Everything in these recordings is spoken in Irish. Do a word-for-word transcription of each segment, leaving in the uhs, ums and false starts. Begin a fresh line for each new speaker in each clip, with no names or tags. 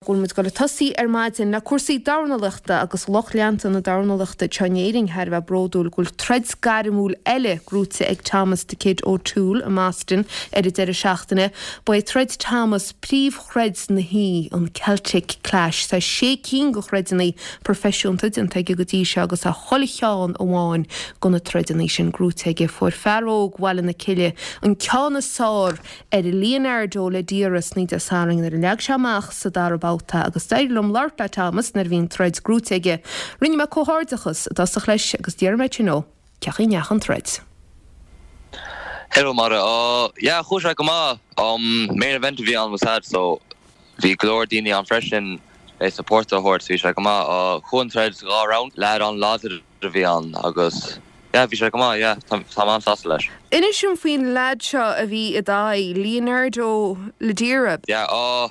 Go bhfuil muid ag dul ag tosaí ar maidin le cúrsaí dornálaíochta agus lucht leanta na dornálaíochta anseo in Éirinn thar a bheith bródúil go bhfuil troid gairmiúil eile gnóthaithe ag Thomas the Kid O'Toole i mBoston ar an deireadh seachtaine. Ba é troid Thomas príomhthroid na hoíche an Celtic Clash tá sé cinn de throideanna proifisiúnta déanta aige go dtí seo agus tá chuile cheann amháin de na troideanna sin gnóthaithe aige fuair fear óg Bhaile na Cille an ceann is fearr ar Leonardo Ladira Dé Sathairn nuair a leag sé amach sa dara babhta agus d'éirigh liom labhairt le Thomas nuair a bhí an troid gnóthaithe aige. Rinne mé comhghairdeachas i dtosach leis agus d'iarr mé sin ó ceachaí neach an troid.
Hello Mara uh, yeah chuaigh sé go maith um, main event a bhí ann was had so bhí go leor daoine ann freisin le support a thabhairt bhí sé go maith uh, chuaigh an troid dhá round leaid an-láidir a bhí ann agus yeah, bhí sé go maith yeah, tá an-sásta leis.
Inis dom faoin leaid seo a bhí i d'aghaidh Leonardo Ladira.
Yeah, uh,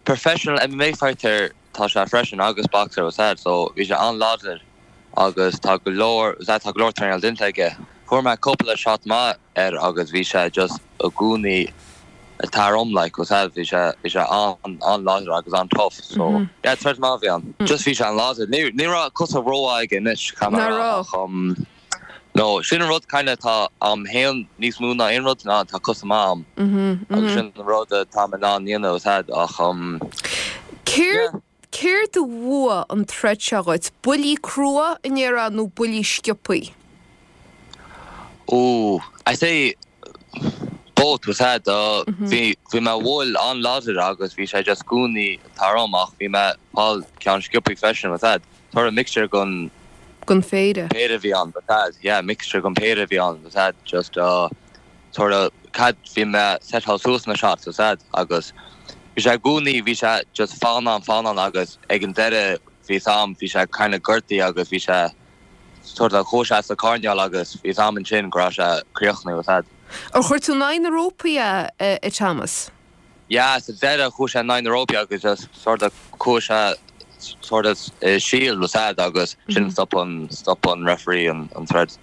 professional MMA fighter tá sé freisin agus boxer was had so bhí sé an-láidir agus tá go leor tá go leor traenáil déanta aige. Fuair mé cúpla shot maith air agus bhí sé just i gcónaí ag teacht orm like was had bhí sé bhí sé an an-láidir agus an-tough so mm -hmm. yeah troid maith bhí ann. Just bhí sé an-láidir. Ní ní raibh cosa rómhaith anois um, No sin an rud kind tá am haon níos mó ná aon rud ná tá cosa maith agam agus sin an rud tá ná dhéanamh had ach um,
Céard céard a bhua an troid seo dhuit, buillí crua in éire nó buillí sciobtha?
Oh, I say both was had uh, bhí bhí mé bhfuil an-láidir agus bhí sé just i gcónaí ag teacht orm ach bhí mé fáil ceann sciobtha freisin was had Tá mixture gon
Gon féide.
péire bhí ann but had yeah mixture gon péire bhí ann was had just uh sort of cad bhí mé set suas na shots was had agus bhí sé i gcónaí bhí sé just fán fán agus ag an deireadh bhí sam bhí sé kind of gortaithe agus bhí sé sort of chuaigh sé sa choirnéal agus bhí am sin go raibh sé críochnaithe was had.
Ar chuir tú in aghaidh na rópaí é a Thomas?
Yeah, sa deireadh chuaigh sé in aghaidh na rópaí agus just sort of chuaigh sé sort of uh, shield was had agus sin stop an stop an referee an an troid.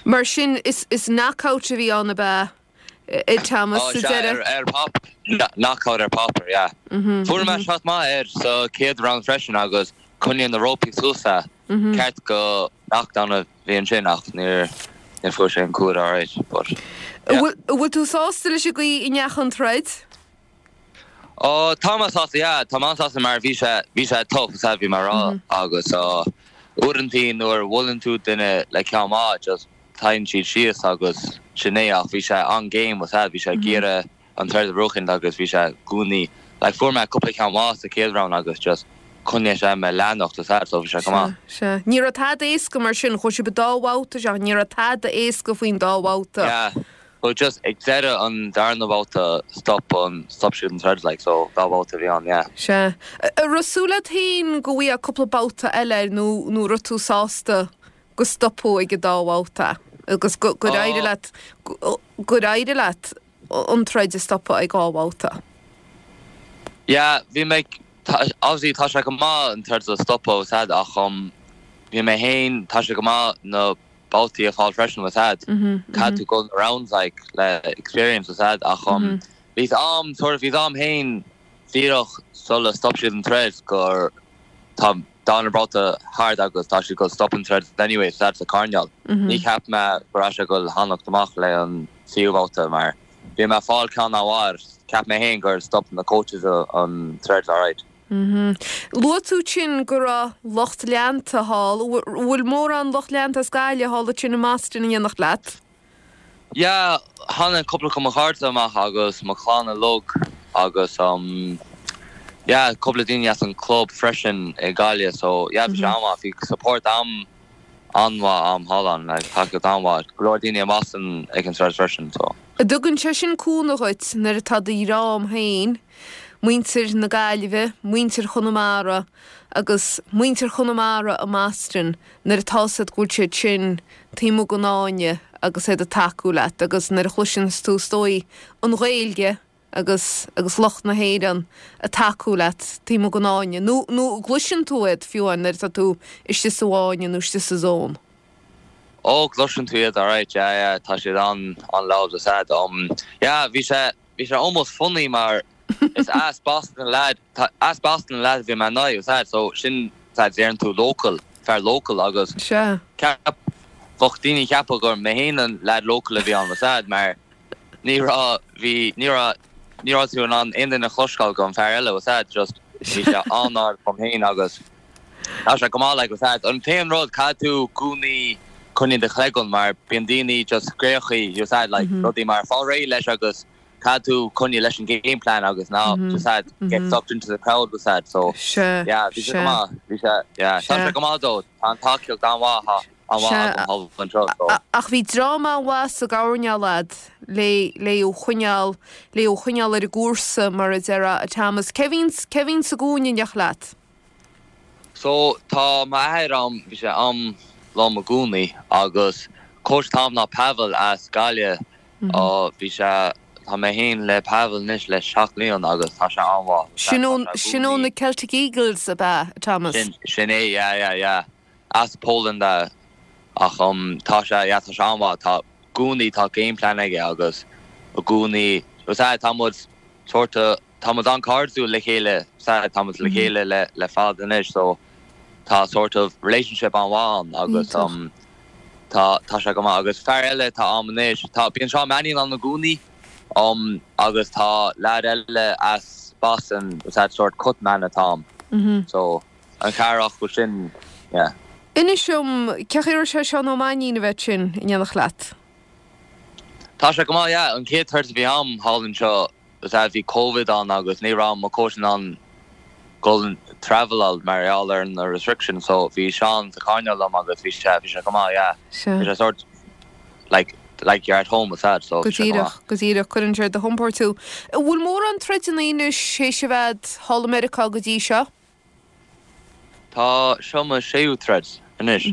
Mar sin is is knockout a bhí ann ab ea a Thomas
Oh,
sa
sea,
deireadh.
ar ar pop knockout ar páipéar yeah. Fuair mé shot maith air sa chéad round freisin agus choinnigh na rópaí suas é ceart go knockdown a bhí ansin ach níor níor fuair sé an cúl alright but yeah.
Bhfuil bhfuil tú sásta leis an gcaoi a ndeachaigh an troid?
Ó tá mé sásta yeah, tá mé sásta mar bhí sé bhí sé tough sa bhí mar rá agus uh, uaireanta nuair a bhuaileann tú duine le ceann maith just téann siad síos agus sin é ach bhí sé an-game was bhí sé ag iarraidh an troid a bhuachan agus bhí sé i gcónaí like fuair mé cúpla ceann maith sa chéad round agus just choinnigh sé mé leanacht was so bhí sé go maith.
Se Ní raibh tada éasca mar sin chuaigh sibh dhá bhabhta se ní raibh tada éasca faoin dá bhabhta.
Yeah. So just ag deireadh an darna babhta stop an stop siad an troid like so dá babhta bhí ann yeah.
Se raibh súil agat féin go bhfuil cúpla babhta eile nó nó raibh tú sásta go stopadh ag an dá bhabhta agus go gur éirigh leat gur éirigh leat an troid a stopadh ag dhá bhabhta.
Yeah, bhí mé obviously tá sé go maith an troid a stopadh was had ach um bhí mé féin tá sé go maith na babhtaí a fáil freisin was had Caithfidh tú go rounds like le experience was had ach um bhí am sort of bhí am féin díreach sula stop siad an troid gur tá darna babhta thart agus tá siad go stop an troid anyway so that's a choirnéal. Ní cheap mé go raibh sé go fanacht amach le an tríú babhta mar bhí mé fáil ceann amháin cheap mé féin gur stop na coaches an troid alright.
Luaigh tú sin go raibh lucht leanta thall, bhfuil mórán lucht leanta as Gaillimh thall sin i mBoston in éineacht leat?
Yeah, tháinig cúpla de mo chairde amach agus mo chlann uilig agus um yeah, cúpla daoine as an club freisin i Gaillimh so yeah, bhí sé an-mhaith bhí support am an-mhaith am thall ann like tacaíocht an-mhaith go leor daoine i Boston ag an troid freisin so.
Tugann sé sin cúnamh dhuit nuair atá do dhream féin, muintir na Gaillimhe, muintir Chonamara agus muintir Chonamara i mBoston nuair atá siad go bhfuil siad sin taobh amuigh den fháinne agus iad ag tacú leat agus nuair a chloiseann tú is dóigh an Ghaeilge agus agus lucht na hÉireann ag tacú leat taobh amuigh den fháinne nó nó gcloiseann tú iad fiú nuair atá tú istigh sa fháinne nó istigh sa zone.
Ó gcloiseann tú iad alright yeah, yeah, tá siad an an loud was had um yeah, bhí sé bhí sé almost funny mar Is as Boston lad as Boston lad bhí mé ná sad so sin sad deireann tú local fear local agus
Sea.
Ceap bheadh daoine ceapadh gur mé féin an lad local a bhí ann sad mar ní raibh bhí ní raibh ní raibh tú in ann aon duine a chloisteáil go an fear eile sad just bhí sé an-ard dom féin agus Tá sé go maith like sad an t-aon rud caithfidh tú i gcónaí coinneáil do chloigeann mar bíonn daoine just scréachaí you sad like mm -hmm. rudaí mar fáil réidh leis agus caithfidh tú coinneáil leis an game plan agus now mm -hmm. just had get mm -hmm. sucked into the crowd was that so
Sea,
yeah bhí sé go maith bhí sé yeah tá sé go maith dó tá an tacaíocht an-mhaith an-mhaith anseo so
Ach bhí dream an-mhaith sa gcoirnéal a'd le le thú a choinneáil le thú a choinneáil ar an gcúrsa mar a déarfá a Thomas Cé bhíonn cé bhíonn sa gcúinne in éineacht leat.
So tá m'athair am bhí sé am liom i gcónaí agus coach atá a'm ná Pavel as Gaillimh mm -hmm. bhí sé tá mé féin le Pavel anois le seacht mbliana agus tá sé an-mhaith.
Sin sin ó na Celtic Eagles ab ea Thomas.
Sin sin é yeah yeah yeah as Poland uh, ach um, tá sé yeah, tá sé an-mhaith tá i gcónaí tá game plan aige agus i gcónaí tá muid sort tá muid an-chairdiúil le chéile sa tá muid le mhm. chéile le le fada anois so tá sort of relationship an-mhaith agus um, tá tá sé go maith agus fear eile tá a'm anois tá bíonn Seán Mannion ann i gcónaí um, agus tá lad eile as Boston that sort cutman atá a'm
mm -hmm.
so an ceathrar go sin yeah.
Inis dom cén chaoi a raibh sé Seán Ó Mainnín a bheith sin in éineacht leat.
Tá sé go maith yeah, an chéad troid a bhí a'm thall anseo bhí COVID ann agus ní raibh mo coach in ann dul travel mar gheall ar na restriction so bhí Seán sa choirnéal liom agus bhí sé bhí sé go maith yeah. Bhí sé sort like like you're at home with that so
Go díreach go díreach cuireann sé do chompord tú. Bhfuil mórán troideanna anois théis a bheith thall i Meiriceá go dtí seo?
Tá seo mo séú troid anois.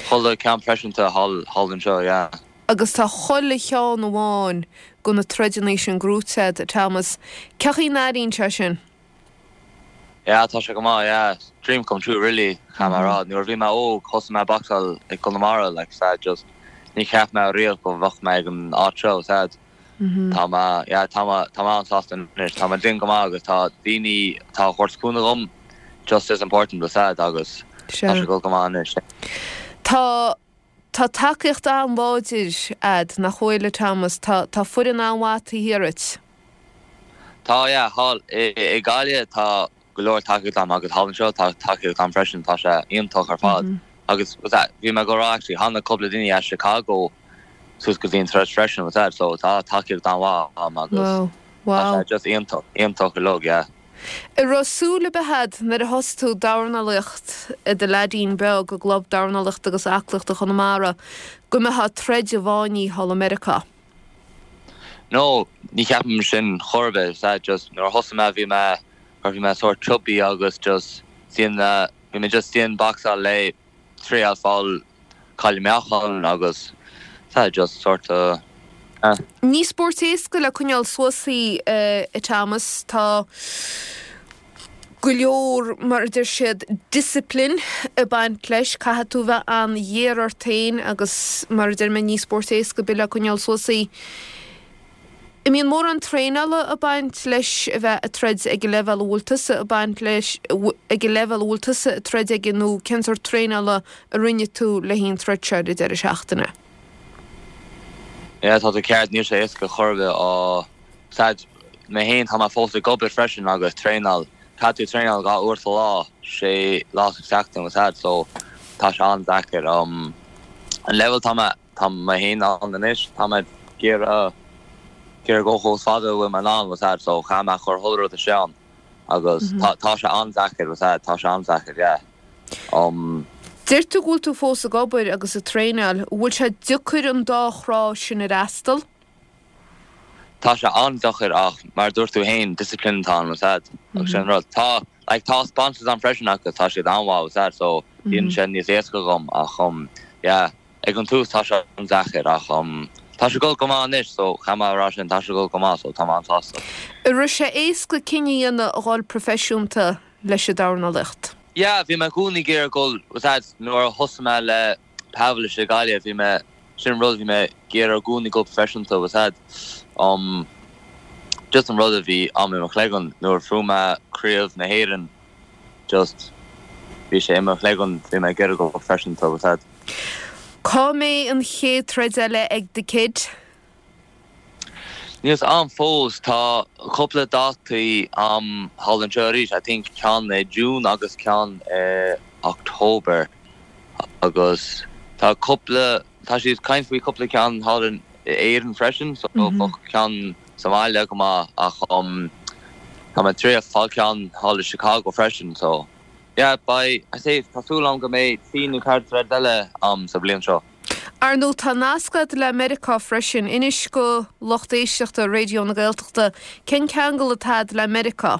Chuile ceann proifisiúnta thall thall anseo yeah.
Agus tá chuile cheann amháin de na troideanna sin gnóthaithe a'd Thomas. Cén chaoi a n-airíonn sé sin?
Yeah, tá sé go maith yeah dream come true really cha mar rá nuair bhí mé óg thosaigh mé boxáil i Conamara like sad just ní cheap mé riamh go mbeadh mé ag an áit seo sad tá mé yeah tá mé tá mé an-sásta anois tá mé déanamh go maith agus tá daoine tá ag cúnamh dom just as important with sad agus tá sé go go maith anois.
Tá Tá tacaíocht an-láidir a'd nach bhfuil a Thomas tá tá foireann an-mhaith taobh thiar díot.
Tá yeah thall i i Gaillimh tá go leor tacaíocht a'm agus thall anseo tá tacaíocht a'm freisin tá sé iontach ar fad. Mm -hmm. Agus was that bhí mé go rá actually tháinig cúpla duine as Chicago suas go dtí an troid freisin was that so tá tacaíocht an-mhaith a'm agus
Wow. Wow.
Tá sé just iontach iontach uilig yeah.
An raibh súil ar bith a'd nuair a thosaigh tú dornálaíocht i do leaidín beag i gclub dornálaíochta agus aclaíochta Chonamara go mbeifeá ag troid i bhfáinní thall i Meiriceá.
No, ní cheapaim sin chor ar bith that just nuair a thosaigh mé bhí mé gur bhí mé sort chubby agus just sin uh, bhí mé just sin boxáil le triail fáil caille meáchan agus that just sort of uh,
Ní spórt éasca le coinneáil suas í uh, Thomas tá go leor mar a deir siad discipline ag baint leis caithfidh tú bheith an-ghéar ort féin agus mar a deir mé ní spórt éasca le coinneáil suas í. An mbíonn mórán traenála ag baint leis a bheith ag troid ag an leibhéal a bhfuil tusa ag baint leis ag an leibhéal a bhfuil tusa ag troid aige nó cén sórt traenála a rinne tú le haghaidh an troid seo ar deireadh seachtaine.
Yeah, tá tú ceart níl sé éasca chor ar bith á sad mé féin tá mé fós ag obair freisin agus traenáil caithfidh tú traenáil dhá uair sa lá sé lá sa seachtain was sad so tá sé an-deacair um, an level tá mé tá mé féin ann anois tá mé ag iarraidh ag iarraidh go chomh fada bhfuil mé ann was sad so cha mé chur thul rud a sean agus tá tá sé an-deacair was sad tá sé an-deacair yeah. Um,
Deir tú go bhfuil tú fós ag obair agus ag traenáil, bhfuil sé deacair an dá thrá sin a fhreastal?
Tá sé an-deacair ach mar dúirt tú féin discipline tá was sad agus sin rud tá like tá sponsors ann freisin agus tá siad an-mhaith was sad so bíonn sé níos éasca dom ach um yeah ag an tús tá sé an-deacair ach um tá sé go go maith anois so cha mé rá sin tá sé go go maith so tá mé an-sásta.
An raibh sé éasca cinneadh a dhéanamh a dhul proifisiúnta leis an dornálaíocht.
Yeah, bhí mé i gcónaí ag iarraidh dul was that nuair a thosaigh mé le Pavel i Gaillimh bhí mé sin rud bhí mé ag iarraidh i gcónaí dul proifisiúnta was that um Just an rud a bhí am i mo chloigeann nuair a fuair mé craobh na hÉireann just bhí sé i mo chloigeann bhí mé ag iarraidh go freisin tá fhios a'd.
Cá mbeidh an chéad troid eile ag The Kid?
Níl fhios a'm fós tá cúpla dátaí a'm thall anseo arís I think ceann i June agus ceann i October agus tá cúpla tá siad caint faoi cúpla ceann thall in Éirinn freisin so bheadh ceann sa mbaile go maith ach um tá mé tar éis fáil ceann thall i Chicago freisin so yeah beidh I say tá súil agam go mbeidh trí nó ceathair troid eile a'm sa bhliain seo.
Ar ndóigh tá nasc agat le Meiriceá freisin. Inis go lucht éisteachta Raidió na Gaeltachta cén ceangal atá agat le Meiriceá.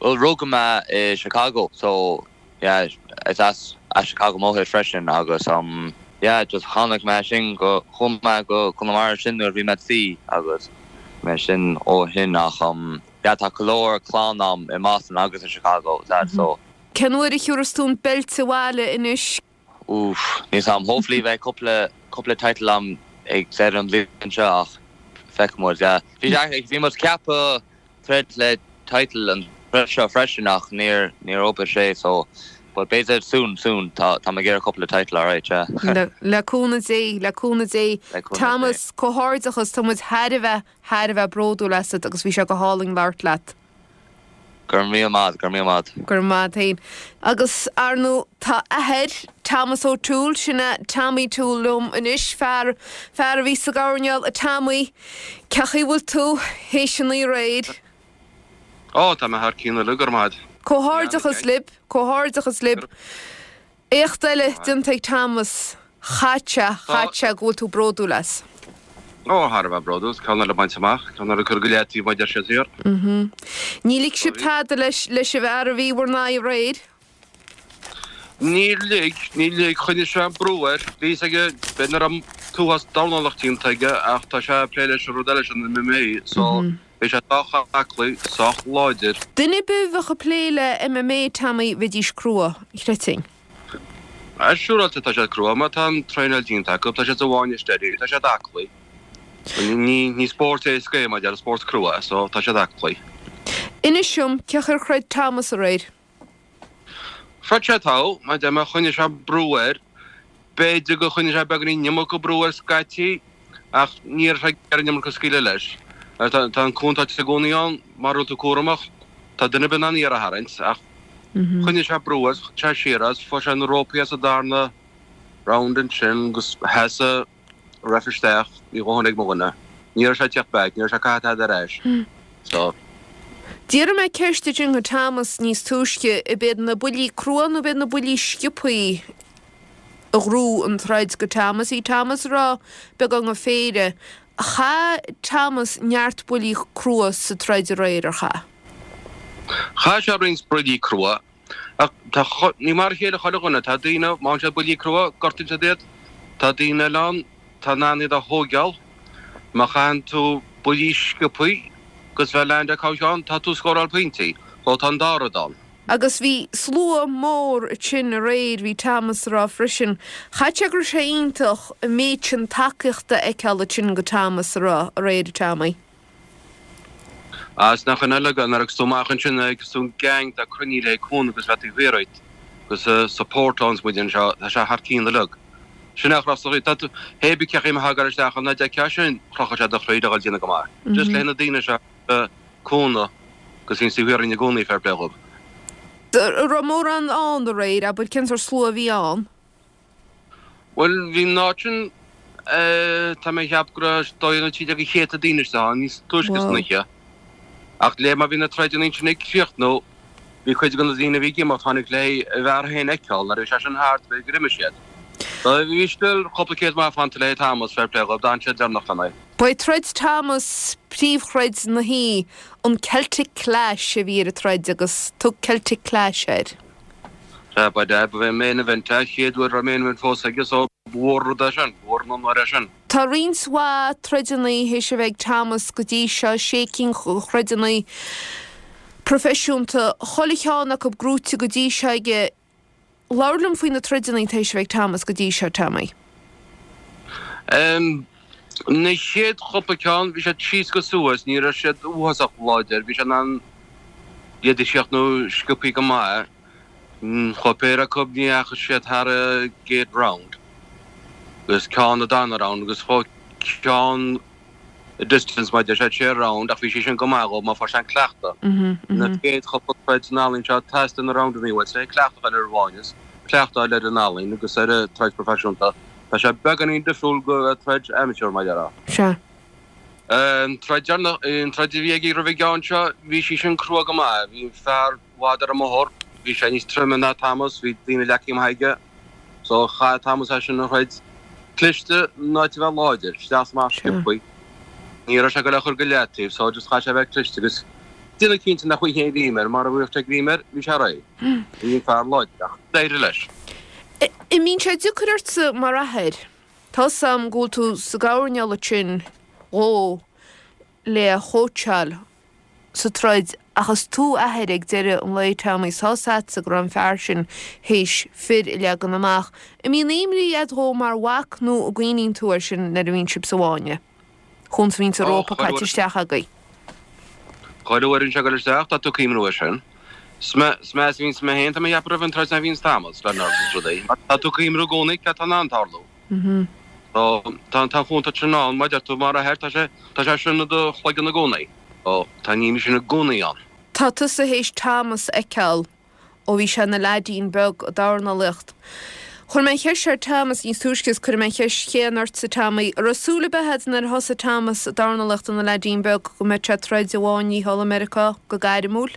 Well rugadh mé i Chicago so yeah is as as Chicago m'athair freisin agus um yeah just tháinig mé sin go chuaigh mé go Conamara sin nuair a bhí mé trí agus mé sin ó shin ach um yeah tá go leor clann a'm i mBoston agus i Chicago that so.
Cén uair a thiúrfas tú an beilt abhaile anois?
Oof, níl fhios a'm hopefully bheidh cúpla cúpla title a'm ag deireadh an bhliain seo ach feicfidh muid yeah. Bhí bhí muid ceaptha troid le title an troid seo freisin ach níor níor obair sé so but b'fhéidir soon soon tá tá mé ag iarraidh cúpla title alright yeah.
Le le cúnamh Dé, le cúnamh Dé.
Le cúnamh Dé.
Thomas, comhghairdeachas, tá muid thar a bheith thar a bheith bródúil asat agus bhí sé go hálainn labhairt leat.
Go raibh míle maith, go raibh míle maith.
Go raibh maith féin. Agus ar ndóigh tá athair Thomas O'Toole, sin é Tommy Toole liom anois, fear fear a bhí sa gcoirnéal a Tommy, cén chaoi a bhfuil tú théis an oíche aréir?
Ó tá mé thar cionn uilig, go raibh maith.
Comhghairdeachas libh, comhghairdeachas libh. Éacht eile déanta ag Thomas, chaith sé, chaith sé go bhfuil tú bródúil as.
Ó thar a bheith bródúil, ceann eile bainte amach, ceann eile curtha go leataobh mar a deir siad thiar.
Ní lig sibh tada leis leis an bhfear a bhí bhur n-aghaidh aréir?
Níor lig, níor lig, choinnigh sé an brú air. Bhí fhios aige, b'fhéidir nach raibh an t-uafás dornálaíocht déanta aige ach tá sé ag plé leis an rud eile sin, an MMA, so bhí sé sách aclaí, sách láidir.
Duine ar bith a bheadh ag plé le MMA, Tommy, bheidís crua, chreidfinn.
Ah, siúráilte tá siad crua, má tá an traenáil déanta acu, tá siad sa bhfáinne steady, tá siad aclaí. Ní ní spórt éasca é mar a deir, spórt crua é, so tá siad aclaí.
Inis dom, cén chaoi ar throid Thomas aréir?
Throid sé togha, mar a deir mé, choinnigh sé brú air. B'fhéidir gur choinnigh sé beagáinín iomarca brú air scaití, ach ní raibh sé ag iarraidh an iomarca a scaoileadh leis. Tá tá an contúirt i gcónaí ann, mura bhfuil tú cúramach, tá duine ar bith in ann iar a tharraingt, ach choinnigh sé brú air, chuir sé siar as, fuair sé na rópaí as sa darna round ansin agus sheas an ref isteach, bhí a dhóthain ag mo dhuine. Ní raibh sé ag teacht back, ní raibh sé ag caitheamh tada ar ais. So.
D'fhiafraigh mé ceist ansin de Thomas níos túisce, ab iad na buillí crua nó ab iad na buillí sciobthaí a ghnóthaigh an troid go Thomas? Bhí Thomas ag rá beagán go péire. Chaith Thomas neart buillí crua sa troid aréir, ar chaith?
Chaith sé roinnt buillí crua, ach tá ní mar a chéile chuile dhuine, tá daoine, má fhaigheann siad buillí crua, gortaíonn siad iad, tá daoine eile ann, tá in ann iad a thóigeáil. Má chaitheann tú buillí sciobthaí agus bheith land ceann, tá tú ag scóráil pointí, so tá an dá rud ann.
Agus bhí slua mór ansin aréir, bhí Thomas ag rá freisin. Chaith sé go raibh sé iontach an méid sin tacaíochta a fheiceáil ansin go Thomas ag rá aréir, Tommy.
Is nach ionadh uilig nuair a thagas tú amach ansin agus tú an gang atá cruinnithe le cúnamh agus bheith taobh thiar duit agus support ann is muid anseo, tá sé thar cionn uilig. Sin é a chros tá tú, hé bí cé chaoi a thagar isteach an d'fheicfeá sin, chrochfadh sé do chroí le dhul déanamh go maith. Just le na daoine seo cúnamh agus bhíonn taobh thiar againn i gcónaí fair play dhóibh.
An raibh mórán ann aréir, abair, cén sórt slua a bhí ann?
Bhuel, bhí an áit sin, tá mé ag ceapadh go raibh dó dhéag nó trí déag de chéadta daoine istigh ann níos túisce san oíche. Ach le mar bhí na troideanna ansin ag críochnú, bhí cuid de na daoine a bhí ag imeacht, tháinig le a bhfear féin a fheiceáil nuair a bhí sé sin thart, b'fhéidir gur imigh siad. So bhí still cúpla céad maith fanta le Thomas, fair play dhóibh, d'fhan siad deireanach lena.
Ba é troid Thomas príomhthroid na hoíche, an Celtic Clash a bhí ar an troid agus thug Celtic Clash air.
Sea, ba ea, ba é main event é, chéad uair a raibh main event fós aige so ba mhór rud é sin, ba mhór an onóir é sin.
Tá roinnt mhaith troideanna théis a bheith ag Thomas go dtí seo, sé cinn de throideanna proifisiúnta, chuile cheann acu gnóite go dtí seo aige. Labhair liom faoi na troideanna théis a bheith ag Thomas go dtí seo, Tommy.
Um, Na chéad chúpla ceann, bhí siad síos go suas, ní raibh siad uafásach láidir, bhí sé in ann iad a sheachnadh sciobthaí go maith. Chuaigh péire acu, ní dheachaigh siad thar an gcéad round agus ceann an dara round agus chuaigh ceann a distance maidir sé sé round ach bhí sé sin go maith dhó mar fuair sé an cleachtadh. Na chéad chúpla troid san ealaín seo teastaíonn na roundanna uait, sé cleachtadh ar an bhfáinne, cleachtadh ar an ealaín agus ar an troid proifisiúnta. Tá sé beagáinín difriúil go troid amateur mar a déarfá.
Sea.
An troid deireanach, an troid a bhí aige roimh an gceann seo, bhí sí sin crua go maith. Bhí an fear i bhfad ar an mbóthar, bhí sé níos troime ná Thomas, bhí daoine leagtha amach aige. So chaith Thomas é sin a throid cliste in áit a bheith láidir, isteach is amach sciobthaí. Ní raibh sé ag dul a chur go leataobh, so just chaith sé a bheith cliste agus déanamh cinnte nach bhfuil aon ghreim air, mara bhfuil sé greim air, bhí sé réidh. Bhí an fear láidir ach d'éirigh leis.
An mbíonn sé deacair ortsa mar athair? Tá's a'm go bhfuil tú sa gcoirnéal ansin dhó le chóitseáil sa troid ach is tú a athair ag deireadh an lae Tommy, tá's a'dsa go raibh an fear sin théis fir a leagan amach. An mbíonn imní a'd dhó mar mhac nó an gcuimhníonn tú air sin nuair a bhíonn sibh sa bhfáinne? Chúns a bhíonns an rópa caite isteach agaibh.
Chuile uair a bhíonn sé ag dul isteach tá tú ag cuimhniú air sin. Is measa a bhíonns mé féin, tá mé ag ceapadh roimh an troid ná a bhíonns Thomas, le nerves is rudaí. Mar tá tú ag cuimhniú i gcónaí cad tá in ann tarlú. So tá an chontúirt sin ann, mar a deir tú, mar athair, tá sé, tá sé sin i do chloigeann i gcónaí. So tá an imní sin i gcónaí ann.
Tá tusa théis Thomas a fheiceáil ó bhí sé ina leaidín beag ag dornálaíocht. Chuir mé an cheist ar Thomas níos túisce is cuirfidh mé an cheist chéanna ortsa Tommy. An raibh súil ar bith agat nuair a thosaigh Thomas ag dornálaíocht ina leaidín beag go mbeadh sé ag troid i bhfáinní thall i Meiriceá go gairmiúil?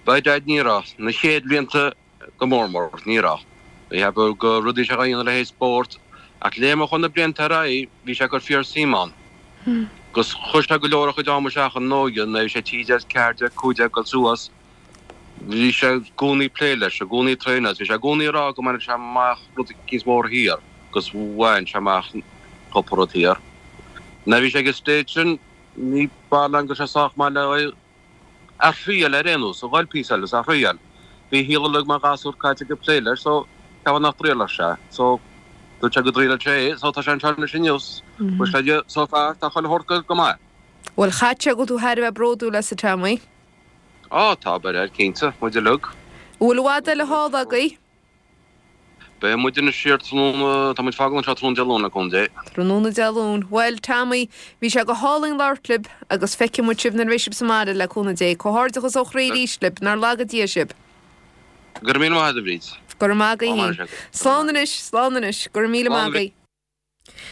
By dad ní raibh. Na chéad bhlianta go mór mór, ní raibh. Bhí ceapadh go rudaí sé a dhéanamh le haghaidh spórt ach le mar chuaigh na blianta ar aghaidh bhí sé ag cur fíor suim ann. Agus chuir sé go leor a chuid ama isteach in óige nuair a bhí sé trí déag, ceathair déag, cúig déag dul suas. Bhí sé i gcónaí ag plé leis, i gcónaí ag traenáil. Bhí sé i gcónaí ag rá go mbainfeadh sé amach rud eicínt mór thiar agus bhain sé amach cúpla rud thiar. Nuair a bhí sé ag an stage sin, ní b'fhearr liom go raibh sé sách maith le a thriail ar aon nós, a dhul píosa eile is a thriail. Bhí a shaol uilig mar ghasúr caite aige ag plé leis so ceapaim nach dtriailfeadh sé. So dúirt sé go dtriailfeadh sé é so tá sé anseo anois inniu. Bhuel sé so far tá chuile shórt go maith.
Bhuel chaithfeadh sé go bhfuil tú thar a bheith bródúil as a Tommy.
Á, tá, by dad, cinnte, muid uilig.
Bhfuil i bhfad eile thall agaibh?
Beidh muid anois siar tráthnóna, tá muid fágáil anseo tráthnóna Dé Luain le cúnamh Dé.
Tráthnóna Dé Luain. Bhuel, Tommy, bhí sé go hálainn labhairt libh agus feicfidh muid sibh nuair a bheidh sibh sa mbaile le cúnamh Dé. Comhghairdeachas ó chroí arís libh, nár laga Dia sibh.
Go raibh míle maith agat, a Bhríd.
Go raibh maith agaibh féin. Slán anois, slán anois. Go raibh míle maith agaibh.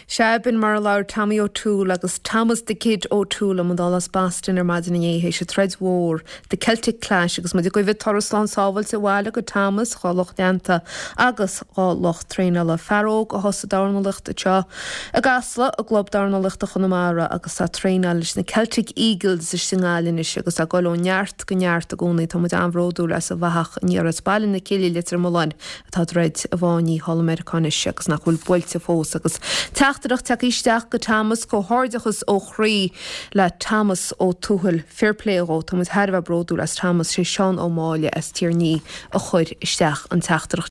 Sea, b'in mar a labhair Tommy O'Toole agus Thomas 'The Kid' O'Toole i mbun as Boston ar maidin inné théis an troid mhór, The Celtic Clash, agus muid ag guí turas slán sábháilte abhaile go Thomas, dhá lucht leanta agus dhá lucht traenála. Fear óg a thosaigh dornálaíocht anseo i gCasla, i gClub Dornálaíochta Chonamara agus tá traenáil leis na Celtic Eagles istigh i nGaillimh anois agus tá ag dul ó neart go neart i gcónaí. Tá muid an-bhródúil as an bhfathach aniar as Baile na Cille, Leitir Mealláin, atá ag troid i bhfáinní thall i Meiriceá anois agus nach bhfuil buailte fós agus teachtaireacht tagtha isteach go Thomas, comhghairdeachas ó chroí le Thomas Ó Tuathail, fair play dhó, tá muid thar a bheith bródúil as Thomas, sé Seán Ó Máille as Tír an Fhia a chuir isteach an teachtaireacht.